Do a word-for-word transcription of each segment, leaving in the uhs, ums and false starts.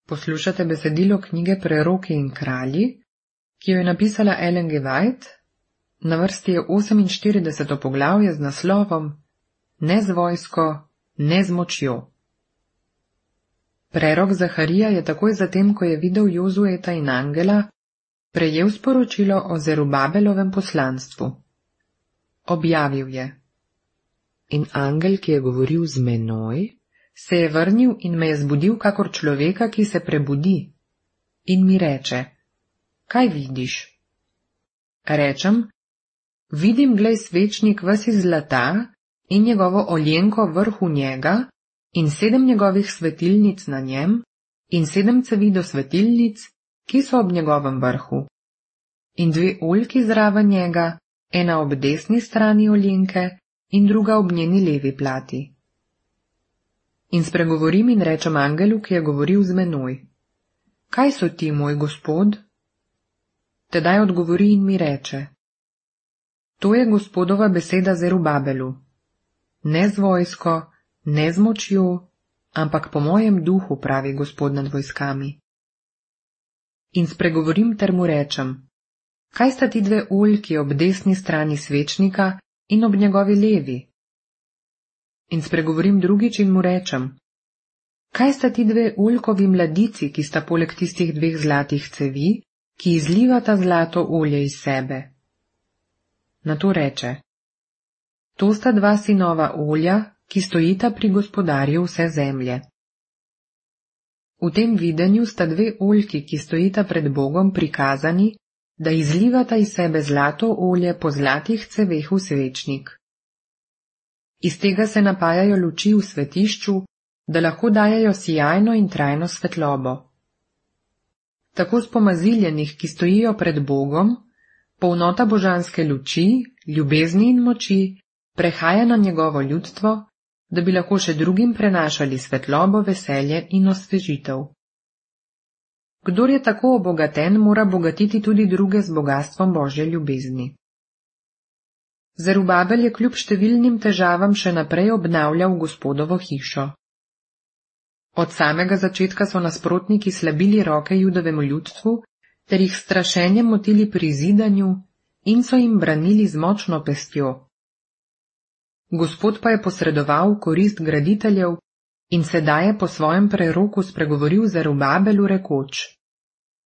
Poslušate besedilo knjige Preroki in kralji, ki jo je napisala Ellen G. White. Na vrsti je oseminštirideseto poglavje z naslovom Ne z vojsko, ne z močjo. Prerok Zaharija je takoj zatem, ko je videl Jozueta in angela, prejel sporočilo o Zerubabelovem poslanstvu. Objavil je: In angel, ki je govoril z menoj, se je vrnil in me je zbudil kakor človeka, ki se prebudi, in mi reče: Kaj vidiš? Rečem: Vidim, glej, svečnik ves iz zlata in njegovo oljenko vrhu njega in sedem njegovih svetilnic na njem in sedem cevi do svetilnic, ki so ob njegovem vrhu, in dve oljki zraven njega, ena ob desni strani oljenke in druga ob njeni levi plati. In spregovorim in rečem angelu, ki je govoril z menoj: Kaj so ti, moj gospod? Tedaj odgovori in mi reče: To je Gospodova beseda Zerubabelu. Ne z vojsko, ne z močjo, ampak po mojem duhu, pravi Gospod nad vojskami. In spregovorim ter mu rečem: Kaj sta ti dve oljki ob desni strani svečnika in ob njegovi levi? In spregovorim drugič in mu rečem: Kaj sta ti dve oljkovi mladici, ki sta poleg tistih dveh zlatih cevi, ki izlivata zlato olje iz sebe? Nato reče: To sta dva sinova olja, ki stojita pri gospodarju vse zemlje. V tem videnju sta dve oljki, ki stojita pred Bogom, prikazani, da izlivata iz sebe zlato olje po zlatih ceveh v svečnik. Iz tega se napajajo luči v svetišču, da lahko dajejo sijajno in trajno svetlobo. Tako spomaziljenih, ki stojijo pred Bogom, polnota božanske luči, ljubezni in moči prehaja na njegovo ljudstvo, da bi lahko še drugim prenašali svetlobo, veselje in osvežitev. Kdor je tako obogaten, mora bogatiti tudi druge z bogastvom Božje ljubezni. Zerubabel je kljub številnim težavam še naprej obnavljal Gospodovo hišo. Od samega začetka so nasprotniki slabili roke Judovemu ljudstvu ter jih strašenjem motili pri zidanju in so jim branili z močno pestjo. Gospod pa je posredoval v korist graditeljev in sedaj je po svojem preroku spregovoril Zerubabelu rekoč: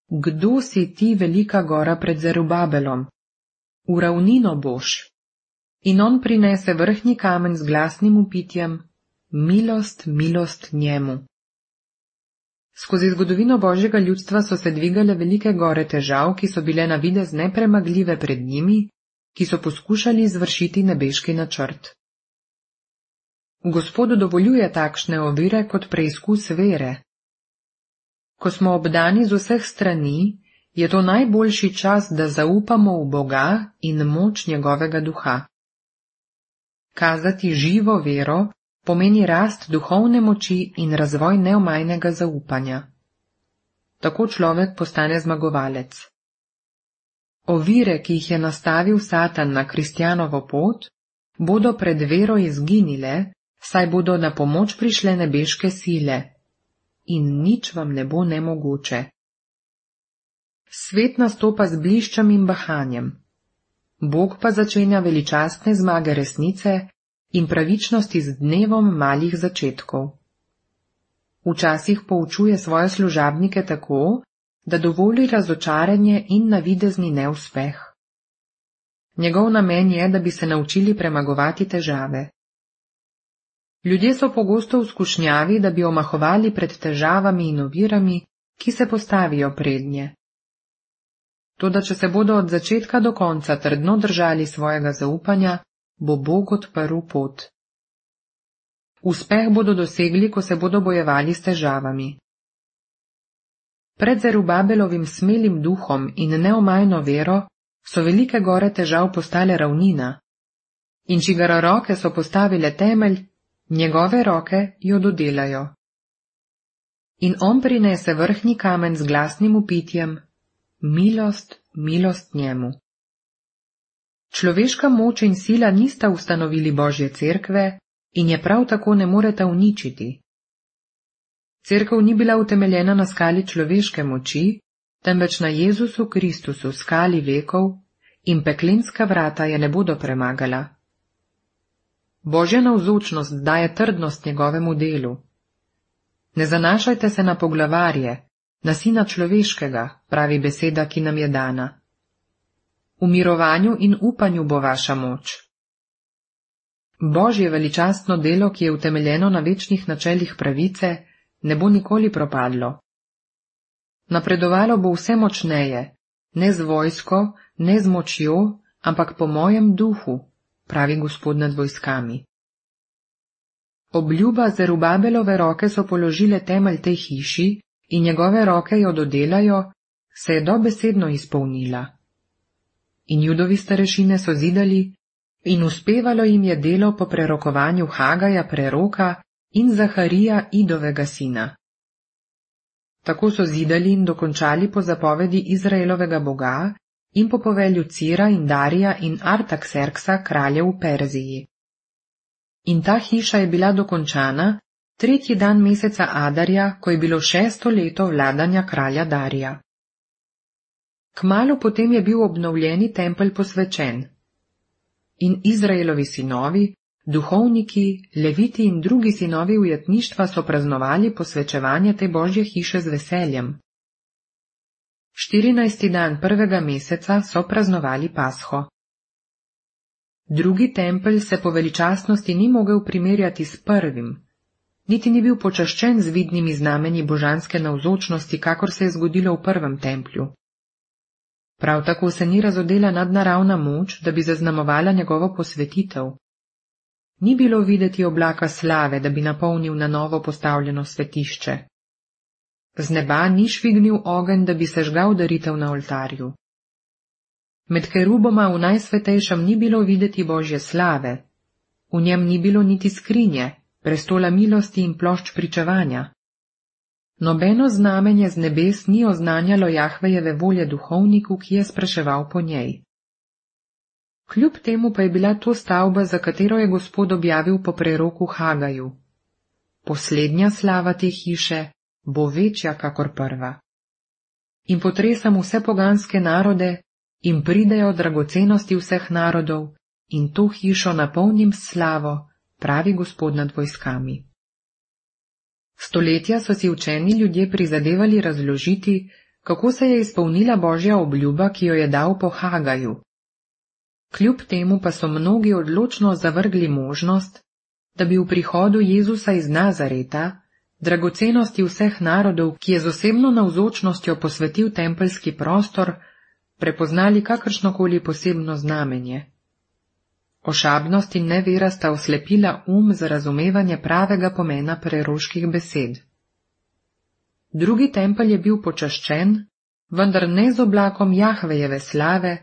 Kdo si ti, velika gora pred Zerubabelom? V ravnino boš. In on prinese vrhnji kamen z glasnim vpitjem: Milost, milost njemu. Skozi zgodovino Božjega ljudstva so se dvigale velike gore težav, ki so bile na videz nepremagljive pred njimi, ki so poskušali izvršiti nebeški načrt. Gospod dovoljuje takšne ovire kot preizkus vere. Ko smo obdani z vseh strani, je to najboljši čas, da zaupamo v Boga in moč njegovega duha. Kazati živo vero pomeni rast duhovne moči in razvoj neomajnega zaupanja. Tako človek postane zmagovalec. Ovire, ki jih je nastavil Satan na kristjanovo pot, bodo pred vero izginile, saj bodo na pomoč prišle nebeške sile. In nič vam ne bo nemogoče. Svet nastopa z bliščem in bahanjem. Bog pa začenja veličastne zmage resnice in pravičnosti z dnevom malih začetkov. Včasih poučuje svoje služabnike tako, da dovoli razočaranje in navidezni neuspeh. Njegov namen je, da bi se naučili premagovati težave. Ljudje so pogosto v skušnjavi, da bi omahovali pred težavami in ovirami, ki se postavijo prednje. Toda če se bodo od začetka do konca trdno držali svojega zaupanja, bo Bog odprl pot. Uspeh bodo dosegli, ko se bodo bojevali s težavami. Pred Zerubabelovim smelim duhom in neomajno vero so velike gore težav postale ravnina, in čigara roke so postavile temelj, njegove roke jo dodelajo. In on prinese vrhnji kamen z glasnim vpitjem: Milost, milost njemu. Človeška moč in sila nista ustanovili Božje cerkve in je prav tako ne moreta uničiti. Cerkev ni bila utemeljena na skali človeške moči, temveč na Jezusu Kristusu, skali vekov, in peklenska vrata je ne bodo premagala. Božja navzočnost daje trdnost njegovemu delu. Ne zanašajte se na poglavarje, na sina človeškega, pravi beseda, ki nam je dana. V mirovanju in upanju bo vaša moč. Božje veličastno delo, ki je utemeljeno na večnih načelih pravice, ne bo nikoli propadlo. Napredovalo bo vse močneje, ne z vojsko, ne z močjo, ampak po mojem duhu, pravi Gospod nad vojskami. Obljuba Zerubabelove roke so položile temelj tej hiši in njegove roke jo dodelajo, se je dobesedno izpolnila. In Judovi starešine so zidali in uspevalo jim je delo po prerokovanju Hagaja preroka in Zaharija Idovega sina. Tako so zidali in dokončali po zapovedi Izraelovega boga in po povelju Cira in Darija in Artakserksa kraljev v Perziji. In ta hiša je bila dokončana tretji dan meseca Adarja, ko je bilo šesto leto vladanja kralja Darija. Kmalu potem je bil obnovljeni tempelj posvečen. In Izraelovi sinovi, duhovniki, leviti in drugi sinovi ujetništva so praznovali posvečevanje te Božje hiše z veseljem. Štirinajsti dan prvega meseca so praznovali Pasho. Drugi tempelj se po veličastnosti ni mogel primerjati s prvim, niti ni bil počaščen z vidnimi znamenji božanske navzočnosti, kakor se je zgodilo v prvem templju. Prav tako se ni razodela nadnaravna moč, da bi zaznamovala njegovo posvetitev. Ni bilo videti oblaka slave, da bi napolnil na novo postavljeno svetišče. Z neba ni švignil ogenj, da bi sežgal daritev na oltarju. Med keruboma v najsvetejšem ni bilo videti Božje slave, v njem ni bilo niti skrinje, prestola milosti in plošč pričevanja. Nobeno znamenje z nebes ni oznanjalo Jahvejeve volje duhovniku, ki je spraševal po njej. Kljub temu pa je bila to stavba, za katero je Gospod objavil po preroku Hagaju. Poslednja slava te hiše bo večja kakor prva. In potresam vse poganske narode, in pridejo dragocenosti vseh narodov, in to hišo napolnim s slavo, pravi Gospod nad vojskami. Stoletja so si učeni ljudje prizadevali razložiti, kako se je izpolnila Božja obljuba, ki jo je dal po Hagaju. Kljub temu pa so mnogi odločno zavrgli možnost, da bi v prihodu Jezusa iz Nazareta, dragocenosti vseh narodov, ki je z osebno navzočnostjo posvetil tempeljski prostor, prepoznali kakršnokoli posebno znamenje. Ošabnost in nevera sta oslepila um za razumevanje pravega pomena preroških besed. Drugi tempelj je bil počaščen, vendar ne z oblakom Jahvejeve slave,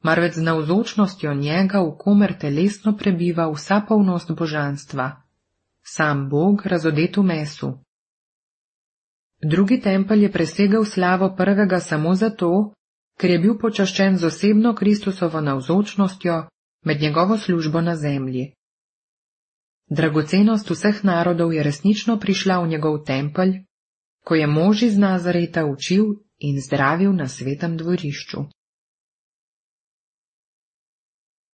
marveč z navzočnostjo njega, v komer telesno prebiva vsa polnost božanstva, sam Bog razodet v mesu. Drugi tempelj je presegel slavo prvega samo zato, ker je bil počaščen z osebno Kristusovo navzočnostjo med njegovo službo na zemlji. Dragocenost vseh narodov je resnično prišla v njegov tempelj, ko je mož iz Nazareta učil in zdravil na svetem dvorišču.